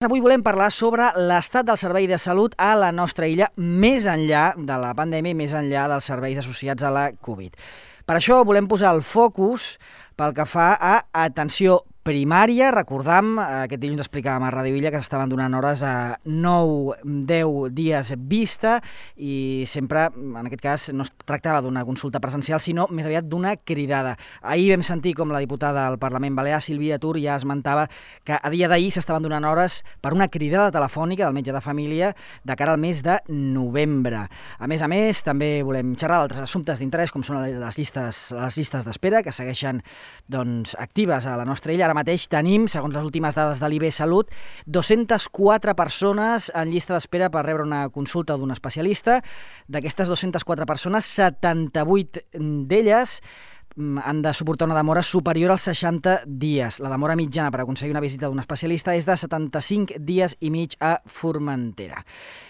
Avui volem parlar sobre l'estat del servei de salut a la nostra illa, més enllà de la pandèmia i més enllà dels serveis associats a la Covid. Per això volem posar el focus pel que fa a atenció primària. Recordam, aquest dilluns explicàvem a Ràdio Illa que s'estaven donant hores a 9-10 dies vista i sempre, en aquest cas, no es tractava d'una consulta presencial, sinó més aviat d'una cridada. Ahir vam sentir com la diputada del Parlament Balear, Sílvia Tur, ja esmentava que a dia d'ahir s'estaven donant hores per una cridada telefònica del metge de família de cara al mes de novembre. A més, també volem xerrar d'altres assumptes d'interès, com són les llistes d'espera, que segueixen actives a la nostra illa. Ara mateix tenim, segons les últimes dades de l'IB Salut, 204 persones en llista d'espera per rebre una consulta d'un especialista. D'aquestes 204 persones, 78 d'elles han de suportar una demora superior als 60 dies. La demora mitjana per aconseguir una visita d'un especialista és de 75 dies i mig a Formentera.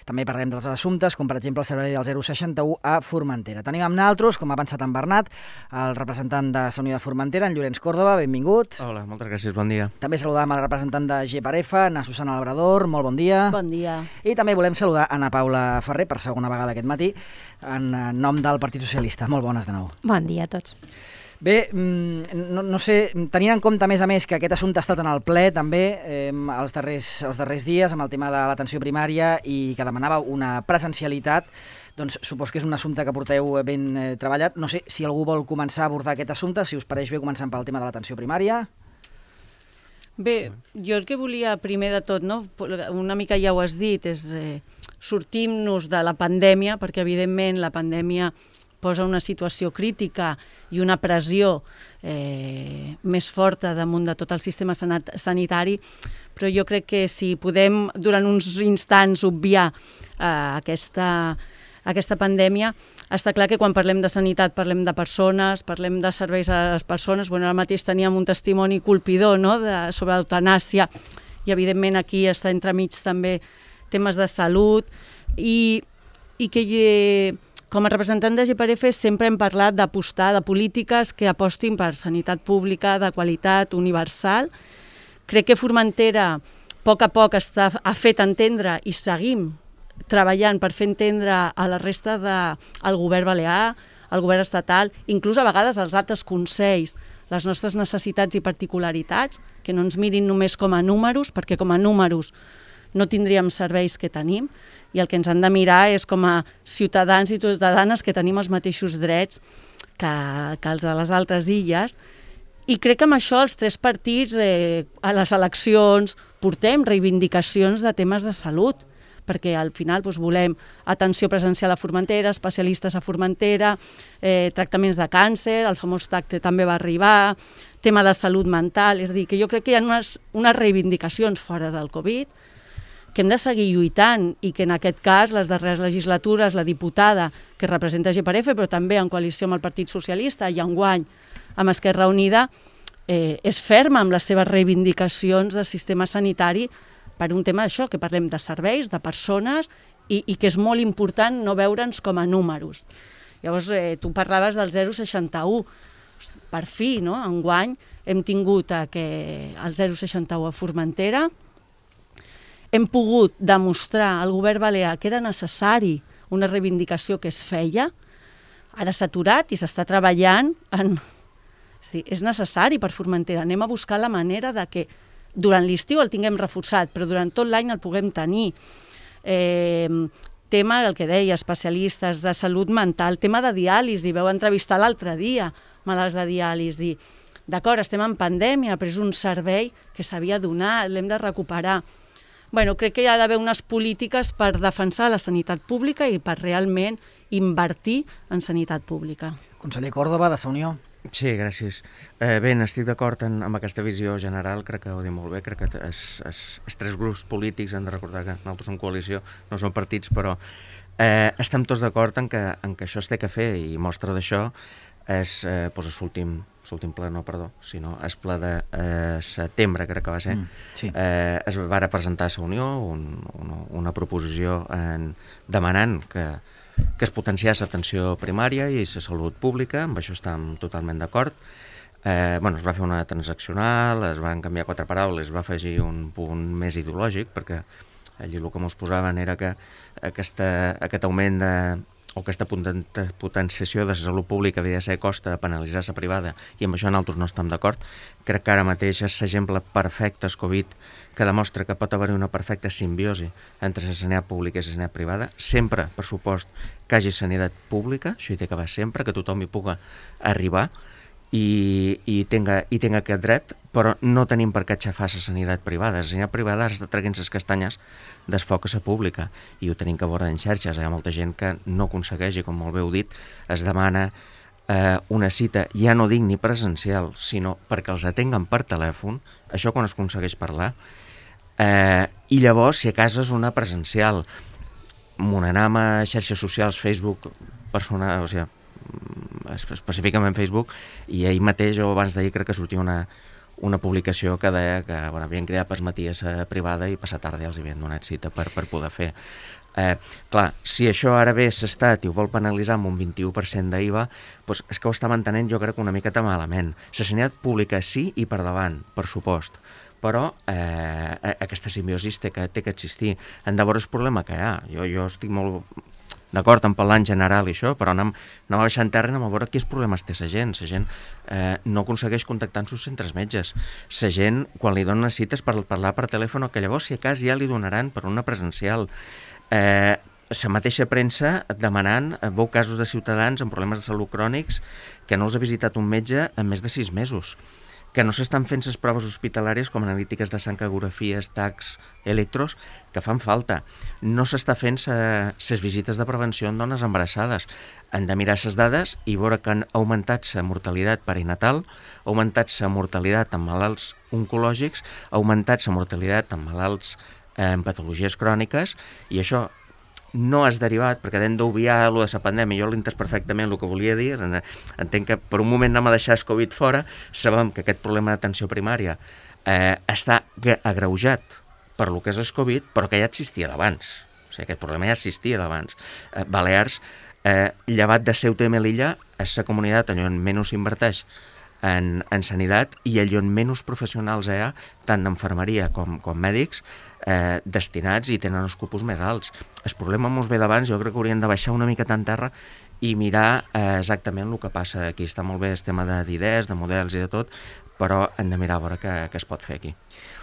També parlem dels assumptes, com per exemple el servei del 061 a Formentera. Tenim amb nosaltres, com ha avançat en Bernat, el representant de la Unió de Formentera, en Llorenç Córdoba. Benvingut. Hola, moltes gràcies, bon dia. També saludam a la representant de GPAREFA, na Susana Labrador. Molt bon dia. Bon dia. I també volem saludar Ana Paula Ferrer, per segona vegada aquest matí, en nom del Partit Socialista. Molt bones de nou. Bon dia a tots. Bé, no sé, tenint en compte, a més, que aquest assumpte ha estat en el ple també els darrers dies amb el tema de l'atenció primària i que demanava una presencialitat, doncs supos que és un assumpte que porteu ben treballat. No sé si algú vol començar a abordar aquest assumpte, si us pareix bé, començant pel tema de l'atenció primària. Bé, jo el que volia primer de tot, una mica ja ho has dit, és sortim-nos de la pandèmia, perquè evidentment la pandèmia posa una situació crítica i una pressió més forta damunt de tot el sistema sanitari, però jo crec que si podem durant uns instants obviar aquesta pandèmia, està clar que quan parlem de sanitat parlem de persones, parlem de serveis a les persones. Ara mateix teníem un testimoni colpidor sobre l'eutanàsia i evidentment aquí està entremig també temes de salut i que com a representant de GPAREFA sempre hem parlat d'apostar de polítiques que apostin per sanitat pública de qualitat, universal. Crec que Formentera a poc ha fet entendre i seguim treballant per fer entendre a la resta del govern balear, al govern estatal, inclús a vegades als altres consells, les nostres necessitats i particularitats, que no ens mirin només com a números, perquè com a números no tindríem serveis que tenim, i el que ens han de mirar és com a ciutadans i ciutadanes que tenim els mateixos drets que els de les altres illes. I crec que amb això els tres partits a les eleccions portem reivindicacions de temes de salut, perquè al final volem atenció presencial a Formentera, especialistes a Formentera, tractaments de càncer, el famós TAC també va arribar, tema de salut mental, és a dir, que jo crec que hi ha unes reivindicacions fora del Covid que hem de seguir lluitant i que en aquest cas les darreres legislatures la diputada que representa GPAREFA, però també en coalició amb el Partit Socialista i enguany amb Esquerra Unida, és ferma amb les seves reivindicacions del sistema sanitari per un tema d'això, que parlem de serveis, de persones i que és molt important no veure'ns com a números. Llavors, tu parlaves del 061. Per fi, enguany hem tingut el 061 a Formentera. Hem pogut demostrar al govern balear que era necessari una reivindicació que es feia. Ara s'ha aturat i s'està treballant és necessari per Formentera. Anem a buscar la manera de que durant l'estiu el tinguem reforçat, però durant tot l'any el puguem tenir. Tema, el que deia, especialistes de salut mental, tema de diàlisi, vau entrevistar l'altre dia malalts de diàlisi. D'acord, estem en pandèmia, però és un servei que s'havia donat, l'hem de recuperar. Crec que hi ha d'haver unes polítiques per defensar la sanitat pública i per realment invertir en sanitat pública. Conseller Córdoba, de la Unió. Sí, gràcies. Bé, estic d'acord amb aquesta visió general, crec que ho dic molt bé, crec que els tres grups polítics han de recordar que nosaltres som coalició, no som partits, però estem tots d'acord en que això es té que fer, i mostra d'això és l'últim ple, sinó el ple de setembre, crec que va ser, es va presentar a la Unió una proposició demanant que es potenciés l'atenció primària i la salut pública, amb això estem totalment d'acord. es va fer una transaccional, es van canviar 4 paraules, es va afegir un punt més ideològic, perquè allí el que mos posaven era que aquest augment o aquesta potenciació de la salut pública havia de ser a costa de penalitzar la privada, i amb això nosaltres no estem d'acord. Crec que ara mateix és l'exemple perfecte, el Covid, que demostra que pot haver una perfecta simbiosi entre la sanitat pública i la sanitat privada, sempre, per supost, que hi hagi sanitat pública, això hi té que haver sempre, que tothom hi pugui arribar, i tenga aquest dret, però no tenim per què aixafar la sanitat privada. La sanitat privada està traient les castanyes del foc a la pública, i ho tenim que veure en xarxes. Hi ha molta gent que no aconsegueix, i com molt bé heu dit, es demana una cita, ja no dic ni presencial, sinó perquè els atenguen per telèfon, això quan es aconsegueix parlar, i llavors, si a casa és una presencial, m'ho anam a xarxes socials, Facebook, personal, o sigui, específicament Facebook, i ahir mateix o abans d'ahir crec que sortia una publicació que deia que havien cridat per matí a la privada i passar tarda ja els havien donat cita per poder fer. Clar, si això ara ve l'Estat i ho vol penalitzar amb un 21% d'IVA, doncs és que ho està mantenint jo crec una miqueta malament. La sanitat pública sí i per davant, per supost, però aquesta simbiosi té que existir. Hem de veure el problema que hi ha. Jo estic molt d'acord en parlar en general i això, però anem a baixar en terra i anem a veure quins problemes té la gent. La gent no aconsegueix contactar amb els centres metges. La gent, quan li donen cites per parlar per telèfon, que llavors si a cas ja li donaran per una presencial. La mateixa premsa demanant, veu casos de ciutadans amb problemes de salut crònics que no els ha visitat un metge en més de 6 mesos, que no s'estan fent les proves hospitalàries com analítiques de sang, ecografies, tacs, electros, que fan falta. No s'està fent les visites de prevenció en dones embarassades. Han de mirar les dades i veure que han augmentat la mortalitat perinatal, ha augmentat la mortalitat en malalts oncològics, ha augmentat la mortalitat en malalts amb patologies cròniques, i això no has derivat, perquè hem d'obviar allò de la pandèmia. Jo l'he entès perfectament el que volia dir, entenc que per un moment anem a deixar el Covid fora, sabem que aquest problema d'atenció primària està agreujat per lo que és el Covid, però que ja existia d'abans. O sigui, aquest problema ja existia d'abans. Balears, llevat de Ceuta i Melilla, és la comunitat on menys s'inverteix en sanitat i allà on menys professionals hi ha, tant d'enfermeria com mèdics, destinats, i tenen els cupos més alts. El problema mos ve d'abans, jo crec que hauríem de baixar una miqueta en terra i mirar exactament el que passa aquí. Està molt bé el tema d'idees, de models i de tot, però hem de mirar a veure què es pot fer aquí.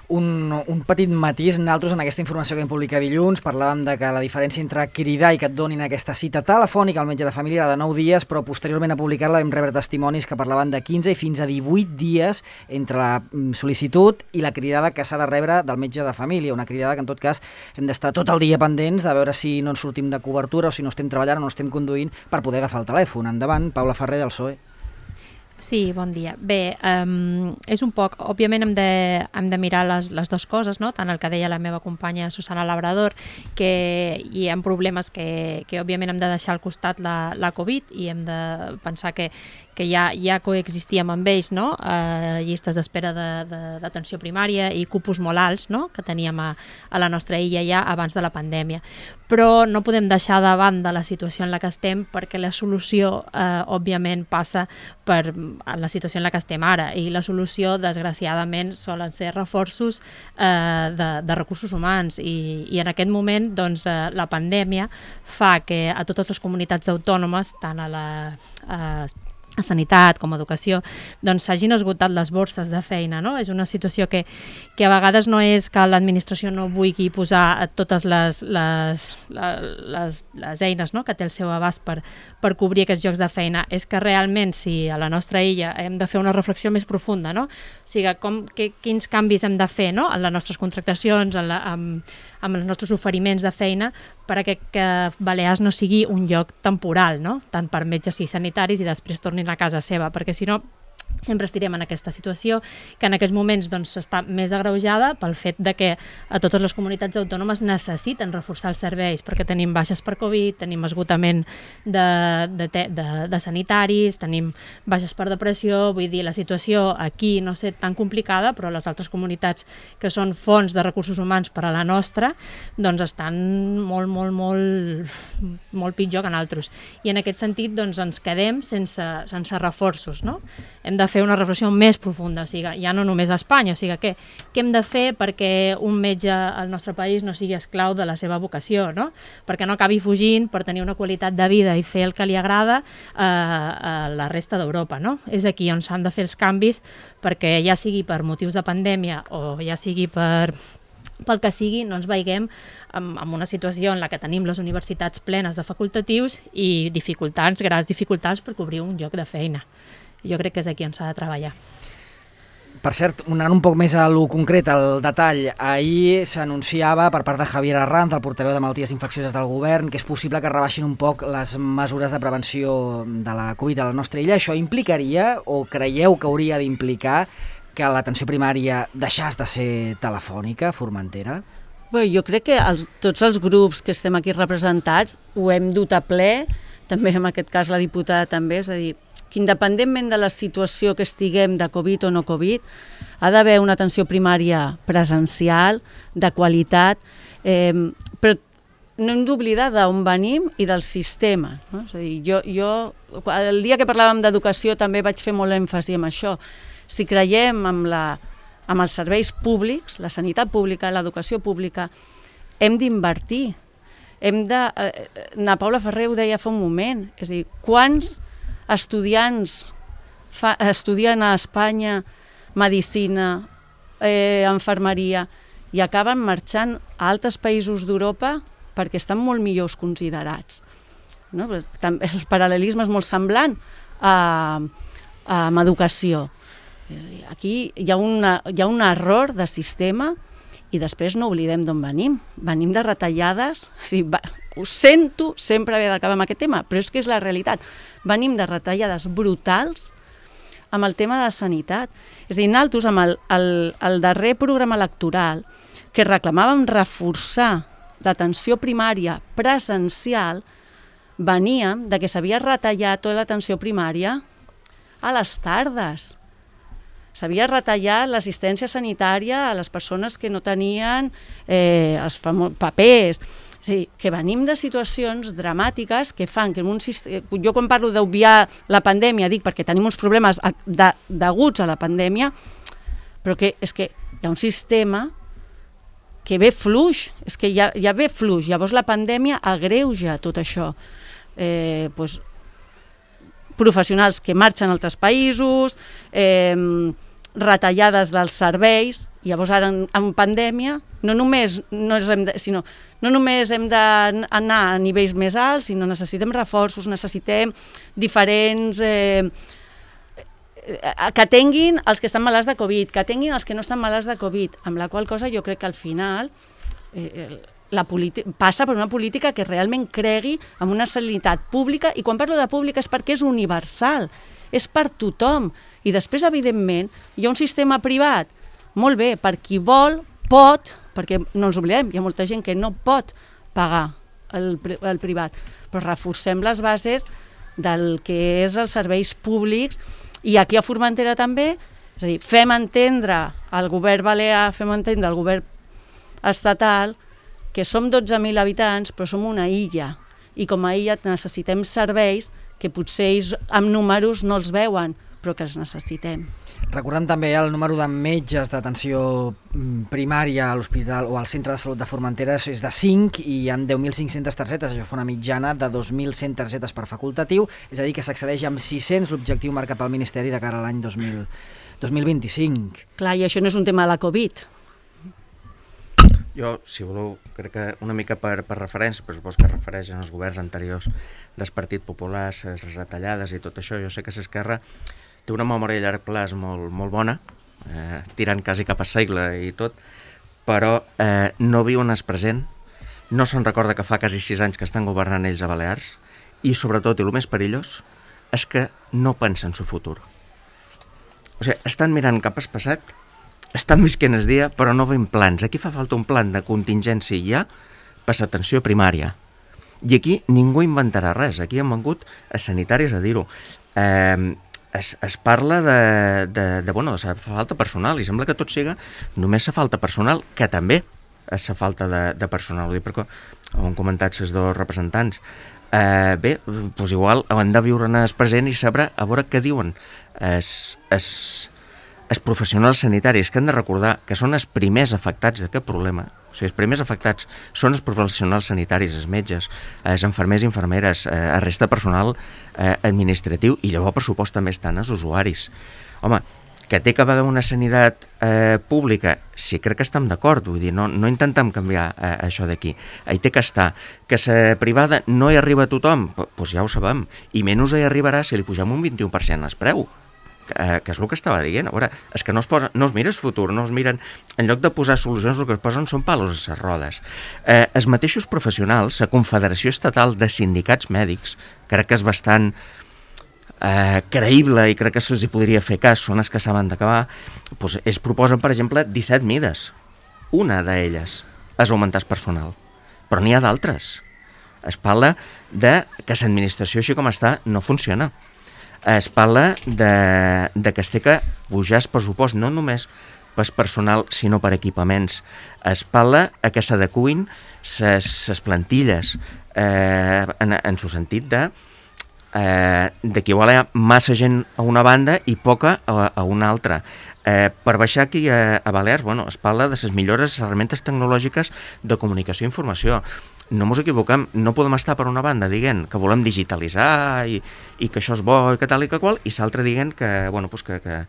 Un petit matís. Nosaltres en aquesta informació que hem publicat dilluns parlàvem de que la diferència entre cridar i que et donin aquesta cita telefònica al metge de família era de 9 dies, però posteriorment a publicar-la vam rebre testimonis que parlaven de 15 i fins a 18 dies entre la sol·licitud i la cridada que s'ha de rebre del metge de família. Una cridada que en tot cas hem d'estar tot el dia pendents de veure si no ens sortim de cobertura o si no estem treballant o no estem conduint per poder agafar el telèfon. Endavant, Paula Ferrer, del PSOE. Sí, bon dia. Bé, és un poc... Òbviament hem de mirar les dues coses, no? Tant el que deia la meva companya Susana Labrador, que hi ha problemes que òbviament hem de deixar al costat la Covid i hem de pensar que ja coexistíem amb ells, no? Llistes d'espera d'atenció primària i cupos molt alts, no? Que teníem a la nostra illa ja abans de la pandèmia. Però no podem deixar de banda la situació en la que estem, perquè la solució, òbviament, passa per la situació en la que estem ara, i la solució, desgraciadament, solen ser reforços de recursos humans, i en aquest moment doncs, la pandèmia fa que a totes les comunitats autònomes, tant a sanitat com a educació, doncs s'hagin esgotat les borses de feina, no? És una situació que a vegades no és que l'administració no vulgui posar totes les eines, no?, que té al seu abast per cobrir aquests llocs de feina. És que realment, si a la nostra illa hem de fer una reflexió més profunda, no? O sigui, quins canvis hem de fer, no?, en les nostres contractacions, amb els nostres oferiments de feina, perquè que Balears no sigui un lloc temporal, no?, tant per metges i sanitaris, i després tornin a casa seva, perquè si no sempre estirem en aquesta situació que en aquests moments doncs, està més agreujada pel fet de que a totes les comunitats autònomes necessiten reforçar els serveis, perquè tenim baixes per Covid, tenim esgotament de sanitaris, tenim baixes per depressió. Vull dir, la situació aquí no sé tan complicada, però les altres comunitats que són fonts de recursos humans per a la nostra doncs estan molt pitjor que nosaltres, i en aquest sentit doncs, ens quedem sense reforços, no? Hem hem de fer una reflexió més profunda, o sigui, ja no només a Espanya, o sigui, què hem de fer perquè un metge al nostre país no sigui esclau de la seva vocació, no? Perquè no acabi fugint per tenir una qualitat de vida i fer el que li agrada a la resta d'Europa, no? És aquí on s'han de fer els canvis perquè ja sigui per motius de pandèmia o ja sigui pel que sigui, no ens veiguem en una situació en la que tenim les universitats plenes de facultatius i grans dificultats per cobrir un lloc de feina. Jo crec que és aquí on s'ha de treballar. Per cert, anant un poc més a lo concret, al detall, ahir s'anunciava per part de Javier Arranz, el portaveu de Malalties Infeccioses del Govern, que és possible que rebaixin un poc les mesures de prevenció de la Covid a la nostra illa. Això implicaria, o creieu que hauria d'implicar, que l'atenció primària deixàs de ser telefònica, Formentera? Bé, jo crec que tots els grups que estem aquí representats ho hem dut a ple, també en aquest cas la diputada també, és a dir, que independentment de la situació que estiguem de Covid o no Covid, ha d'haver una atenció primària presencial, de qualitat, però no hem d'oblidar d'on venim i del sistema. No? És a dir, jo el dia que parlàvem d'educació també vaig fer molt èmfasi en això. Si creiem en els serveis públics, la sanitat pública, l'educació pública, hem d'invertir. Na Paula Ferrer ho deia fa un moment, és a dir, quants estudiants estudien a Espanya medicina, infermeria, i acaben marxant a altres països d'Europa perquè estan molt millors considerats. No? El paral·lelisme és molt semblant amb educació. Aquí hi ha un error de sistema i després no oblidem d'on venim. Venim de retallades, ho sento sempre haver d'acabar amb aquest tema, però és que és la realitat. Venim de retallades brutals amb el tema de la sanitat. És a dir, nosaltres amb el darrer programa electoral que reclamàvem reforçar l'atenció primària presencial, veníem de que s'havia retallat tota l'atenció primària a les tardes. S'havia retallat l'assistència sanitària a les persones que no tenien els papers. És a dir, que venim de situacions dramàtiques que fan que jo quan parlo d'obviar la pandèmia dic perquè tenim uns problemes deguts a la pandèmia, però que és que hi ha un sistema que ve fluix, és que ja ve fluix, llavors la pandèmia agreuja tot això. Professionals que marxen a altres països, retallades dels serveis, llavors ara en pandèmia no només hem d'anar a nivells més alts, sinó necessitem reforços, necessitem diferents que atenguin els que estan malalts de Covid, que atenguin els que no estan malalts de Covid, amb la qual cosa jo crec que al final passa per una política que realment cregui en una sanitat pública, i quan parlo de pública és perquè és universal, és per tothom. I després, evidentment, hi ha un sistema privat, molt bé, per qui vol, pot, perquè no ens oblidem, hi ha molta gent que no pot pagar el privat, però reforcem les bases del que és els serveis públics, i aquí a Formentera també, és a dir, fem entendre al govern balear, fem entendre al govern estatal que som 12.000 habitants, però som una illa, i com a illa necessitem serveis que potser ells amb números no els veuen, però que els necessitem. Recordant també el número de metges d'atenció primària a l'hospital o al centre de salut de Formentera és de 5 i hi ha 10.500 targetes, això fa una mitjana de 2.100 targetes per facultatiu, és a dir que s'accedeix amb 600 l'objectiu marcat pel Ministeri de cara a l'any 2025. Clar, i això no és un tema de la Covid. Jo, si voleu, crec que una mica per referència, però suposo que refereixen als governs anteriors del Partit Popular, les retallades i tot això. Jo sé que l'Esquerra té una memòria a llarg plaç molt bona, tirant quasi cap a segle i tot, però no viu en el present, no se'n recorda que fa quasi 6 anys que estan governant ells a Balears, i sobretot, i el més perillós, és que no pensen en el futur. O sigui, estan mirant cap al passat, estan visquent el dia, però no veiem plans. Aquí fa falta un plan de contingència ja per l'atenció primària. I aquí ningú inventarà res. Aquí han vengut a sanitaris a dir-ho. Es parla de falta personal, i sembla que tot siga només la falta personal, que també, la falta de personal. Ho dic perquè ho han comentat els dos representants. Bé, doncs igual hem de viure en el present i saber a veure què diuen els professionals sanitaris, que han de recordar que són els primers afectats d'aquest problema. O sigui, els primers afectats són els professionals sanitaris, els metges, els infermers i infermeres, el resta de personal administratiu, i llavors, per supost, també estan els usuaris. Home, que té que haver una sanitat pública, sí, crec que estem d'acord, vull dir, no intentem canviar això d'aquí. Hi té que estar. Que la privada no hi arriba a tothom, doncs ja ho sabem, i menys hi arribarà si li pugem un 21% al preu, que és el que estava dient. A veure, és que no es mira el futur, no es miren, en lloc de posar solucions, el que es posen són palos a les rodes. Els mateixos professionals, la Confederació Estatal de Sindicats Mèdics, crec que és bastant creïble i crec que se'ls podria fer cas, són els que saben d'acabar, doncs ells proposen, per exemple, 17 mides. Una d'elles és augmentar el personal, però n'hi ha d'altres. Es parla de que l'administració, així com està, no funciona. Es parla de que es té que pujar el pressupost, no només per personal, sinó per equipaments. Es parla que s'adecuïn les plantilles en el sentit de que igual hi ha massa gent a una banda i poca a una altra. Per baixar aquí a Balears, es parla de les millores herramientes tecnològiques de comunicació i informació. No ens equivoquem, no podem estar per una banda dient que volem digitalitzar i que això és bo i que tal i que qual, i l'altre dient que, que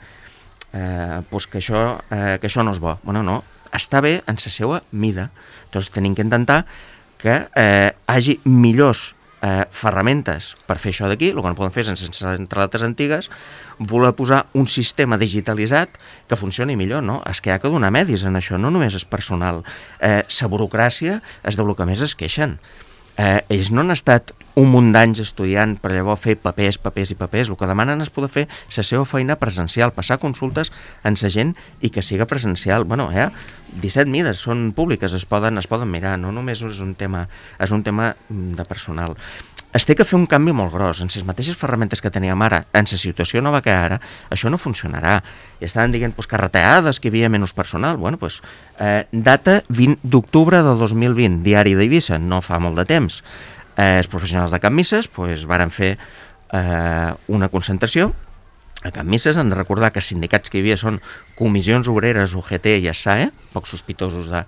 això no és bo. No, està bé en la seva mida. Doncs tenim que intentar que hagi millors ferramentes per fer això d'aquí. El que no podem fer sense centraletes antigues, voler posar un sistema digitalitzat que funcioni millor, no? És que hi ha que donar medis en això, no només és personal. La burocràcia és del que més es queixen. Ells no han estat un munt d'anys estudiant per llavors fer papers. El que demanen és poder fer la seva feina presencial, passar consultes amb la gent i que siga presencial. 17 mides són públiques, es poden mirar, no només és un tema de personal. Es té que fer un canvi molt gros. En les mateixes ferramentes que teníem ara, en la situació nova que ara, això no funcionarà. I estaven dient que retallades, que hi havia menys personal. Data 20 d'octubre del 2020, diari d'Eivissa, no fa molt de temps. Els professionals de Can Misses varen fer una concentració a Can Misses. Han de recordar que els sindicats que hi havia són Comissions Obreres, UGT i SAE, poc sospitosos de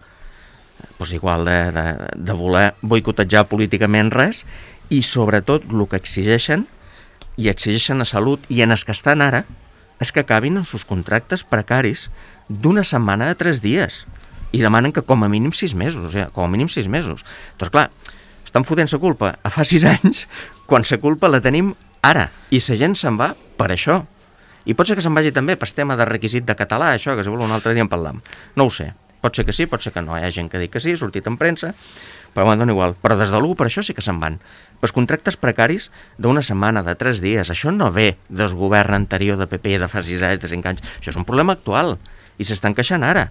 voler boicotejar políticament res, i sobretot el que exigeixen a Salut i en els que estan ara és que acabin els seus contractes precaris d'una setmana a 3 dies i demanen que com a mínim 6 mesos. Doncs clar, estan fotent la culpa a fa 6 anys quan la culpa la tenim ara i la gent se'n va per això. I pot ser que se'n vagi també per tema de requisit de català, això que si vol un altre dia en parlam. No ho sé, pot ser que sí, pot ser que no. Hi ha gent que diu que sí, ha sortit en premsa, però dona igual. Però des de l'1 per això sí que se'n van. Els contractes precaris d'una setmana, de 3 dies, això no ve del govern anterior de PP de fa 6 anys, de 5 anys. Això és un problema actual i s'estan queixant ara.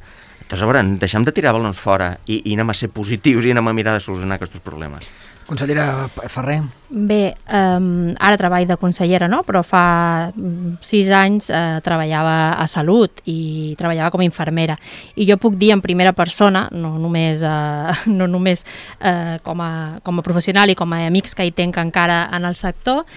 Doncs a veure, deixem de tirar balons fora i anem a ser positius i anem a mirar de solucionar aquests problemes. Consellera Ferrer. Bé, ara treball de consellera, no? Però fa 6 anys treballava a Salut i treballava com a infermera. I jo puc dir en primera persona, no només com a professional i com a amics que hi tenc encara en el sector,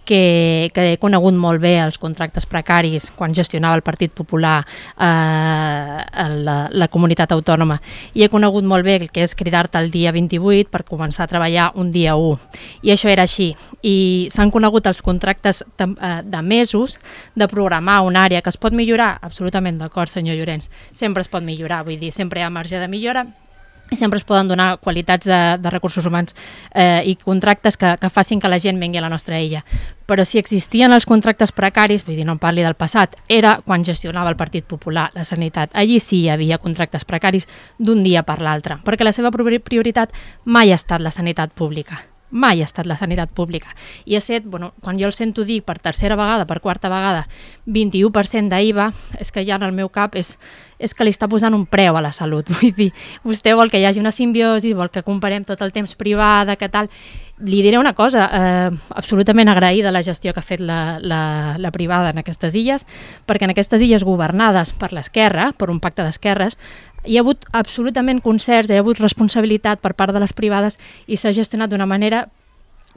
que he conegut molt bé els contractes precaris quan gestionava el Partit Popular la comunitat autònoma, i he conegut molt bé el que és cridar-te el dia 28 per començar a treballar un dia 1, i això era així. I s'han conegut els contractes de mesos, de programar una àrea que es pot millorar, absolutament d'acord, senyor Llorenç, sempre es pot millorar, vull dir, sempre hi ha marge de millora, i sempre es poden donar qualitats de recursos humans i contractes que facin que la gent vengui a la nostra illa. Però si existien els contractes precaris, vull dir, no em parli del passat, era quan gestionava el Partit Popular la sanitat. Allí sí hi havia contractes precaris d'un dia per l'altre, perquè la seva prioritat mai ha estat la sanitat pública. Mai ha estat la sanitat pública. I ha estat, quan jo el sento dir per tercera vegada, per quarta vegada, 21% d'IVA, és que ja en el meu cap és que li està posant un preu a la salut. Vull dir, vostè vol que hi hagi una simbiosi, vol que comparem tot el temps privada, que tal. Li diré una cosa, absolutament agraïda la gestió que ha fet la privada en aquestes illes, perquè en aquestes illes governades per l'esquerra, per un pacte d'esquerres, hi ha hagut absolutament concerts, hi ha hagut responsabilitat per part de les privades i s'ha gestionat d'una manera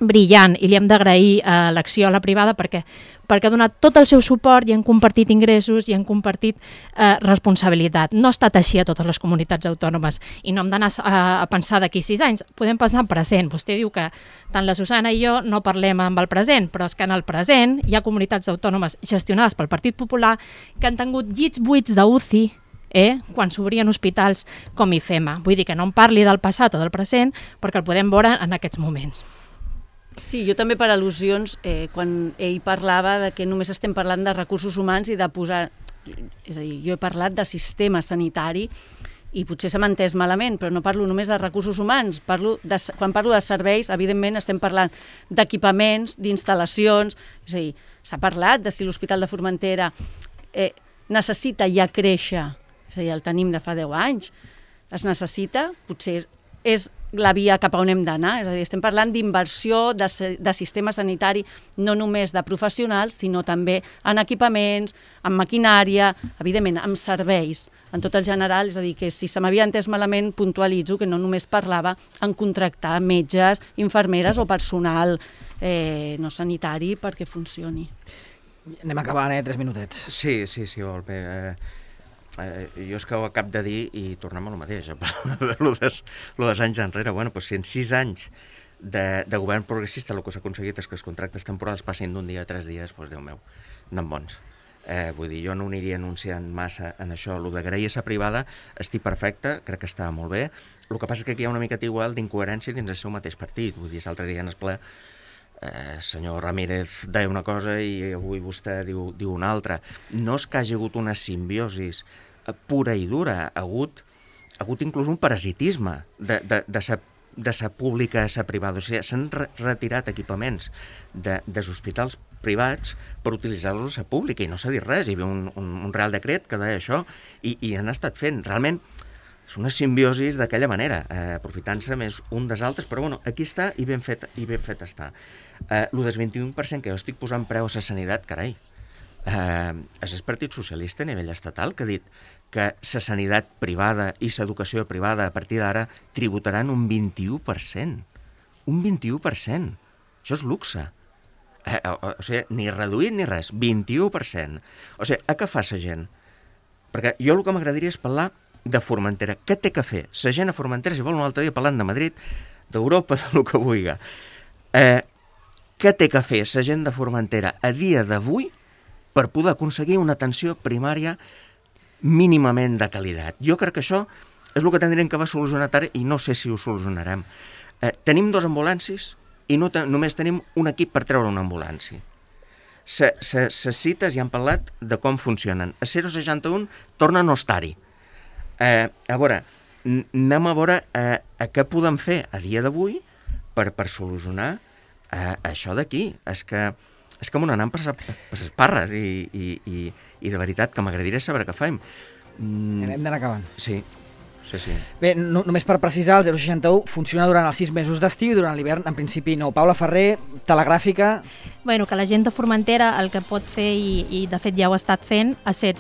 brillant i li hem d'agrair l'acció a la privada perquè ha donat tot el seu suport i han compartit ingressos i han compartit responsabilitat. No ha estat així a totes les comunitats autònomes i no hem d'anar a pensar d'aquí 6 anys, podem pensar en present. Vostè diu que tant la Susana i jo no parlem amb el present, però és que en el present hi ha comunitats autònomes gestionades pel Partit Popular que han tingut llits buits d'UCI quan s'obrien hospitals com IFEMA. Vull dir que no em parli del passat o del present perquè el podem veure en aquests moments. Sí, jo també per al·lusions, quan ell parlava de que només estem parlant de recursos humans i de posar... És a dir, jo he parlat de sistema sanitari i potser se m'ha entès malament, però no parlo només de recursos humans. Quan parlo de serveis, evidentment estem parlant d'equipaments, d'instal·lacions... És a dir, s'ha parlat de si l'Hospital de Formentera necessita ja créixer. És a dir, el tenim de fa 10 anys. Es necessita, potser és la via cap a on hem d'anar, és a dir, estem parlant d'inversió de sistema sanitari, no només de professionals, sinó també en equipaments, en maquinària, evidentment, en serveis, en tot el general, és a dir, que si se m'havia entès malament, puntualitzo que no només parlava en contractar metges, infermeres o personal no sanitari perquè funcioni. Anem acabant, 3 minutets. Sí, molt bé. Jo és que ho acabo de dir i tornem a lo mateix, lo dels anys enrere. Bueno, doncs si en 6 anys de govern progressista el que s'ha aconseguit és que els contractes temporals passin d'un dia a 3 dies, doncs Déu meu, anant bons. Vull dir, jo no ho aniria anunciant massa en això. Lo d'agrair a la privada estic perfecte, crec que està molt bé. El que passa és que aquí hi ha una miqueta igual d'incoherència dins el seu mateix partit. Vull dir, l'altre dia en el ple senyor Ramírez deia una cosa i avui vostè diu una altra. No és que hagi hagut una simbiosi pura i dura, ha hagut inclús un parasitisme de sa pública a sa privada. O sigui, s'han retirat equipaments dels hospitals privats per utilitzar-los a sa pública i no s'ha dit res. Hi havia un real decret que deia això i han estat fent. Realment és una simbiosi d'aquella manera, aprofitant-se més un dels altres, però bueno, aquí està i ben fet està. El del 21% que jo estic posant preu a la sanitat, carai, és el Partit Socialista a nivell estatal que ha dit que la sanitat privada i l'educació privada a partir d'ara tributaran un 21%. Un 21%. Això és luxe. O sigui, ni reduït ni res, 21%. O sigui, a què fa la gent? Perquè jo el que m'agradaria és parlar de Formentera. Què té que fer la gent a Formentera, si vol un altre dia parlant de Madrid, d'Europa, del que vulgui. Què té que fer la gent de Formentera a dia d'avui per poder aconseguir una atenció primària mínimament de qualitat? Jo crec que això és el que tindrem que solucionar ara i no sé si ho solucionarem. Tenim 2 ambulancis i només tenim un equip per treure una ambulància. Les cites ja han parlat de com funcionen. A 061 torna a no estar-hi. A veure, anem a veure què podem fer a dia d'avui per solucionar això d'aquí. És que m'ho anem per les parres i de veritat que m'agradaria saber què fem. Hem d'anar acabant. Sí. Bé, només per precisar, el 061 funciona durant els 6 mesos d'estiu i durant l'hivern, en principi no. Paula Ferrer, telegràfica... Bueno, que la gent de Formentera el que pot fer, i de fet ja ho ha estat fent, ha estat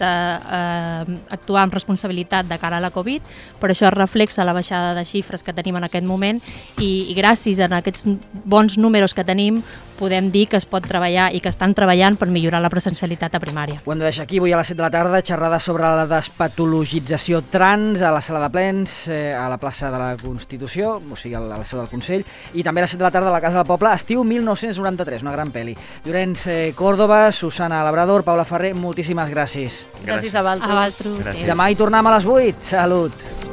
actuar amb responsabilitat de cara a la Covid, però això reflexa la baixada de xifres que tenim en aquest moment i gràcies a aquests bons números que tenim podem dir que es pot treballar i que estan treballant per millorar la presencialitat a primària. Ho hem de deixar aquí, avui a les 7 de la tarda, xerrada sobre la despatologització trans a la sala de plens, a la plaça de la Constitució, o sigui, a la seu del Consell, i també a les 7 de la tarda a la Casa del Poble, estiu 1993, una gran pel·li. Llorenç Córdoba, Susana Labrador, Paula Ferrer, moltíssimes gràcies. Gràcies a vosaltres. Gràcies. I demà hi tornem a les 8. Salut!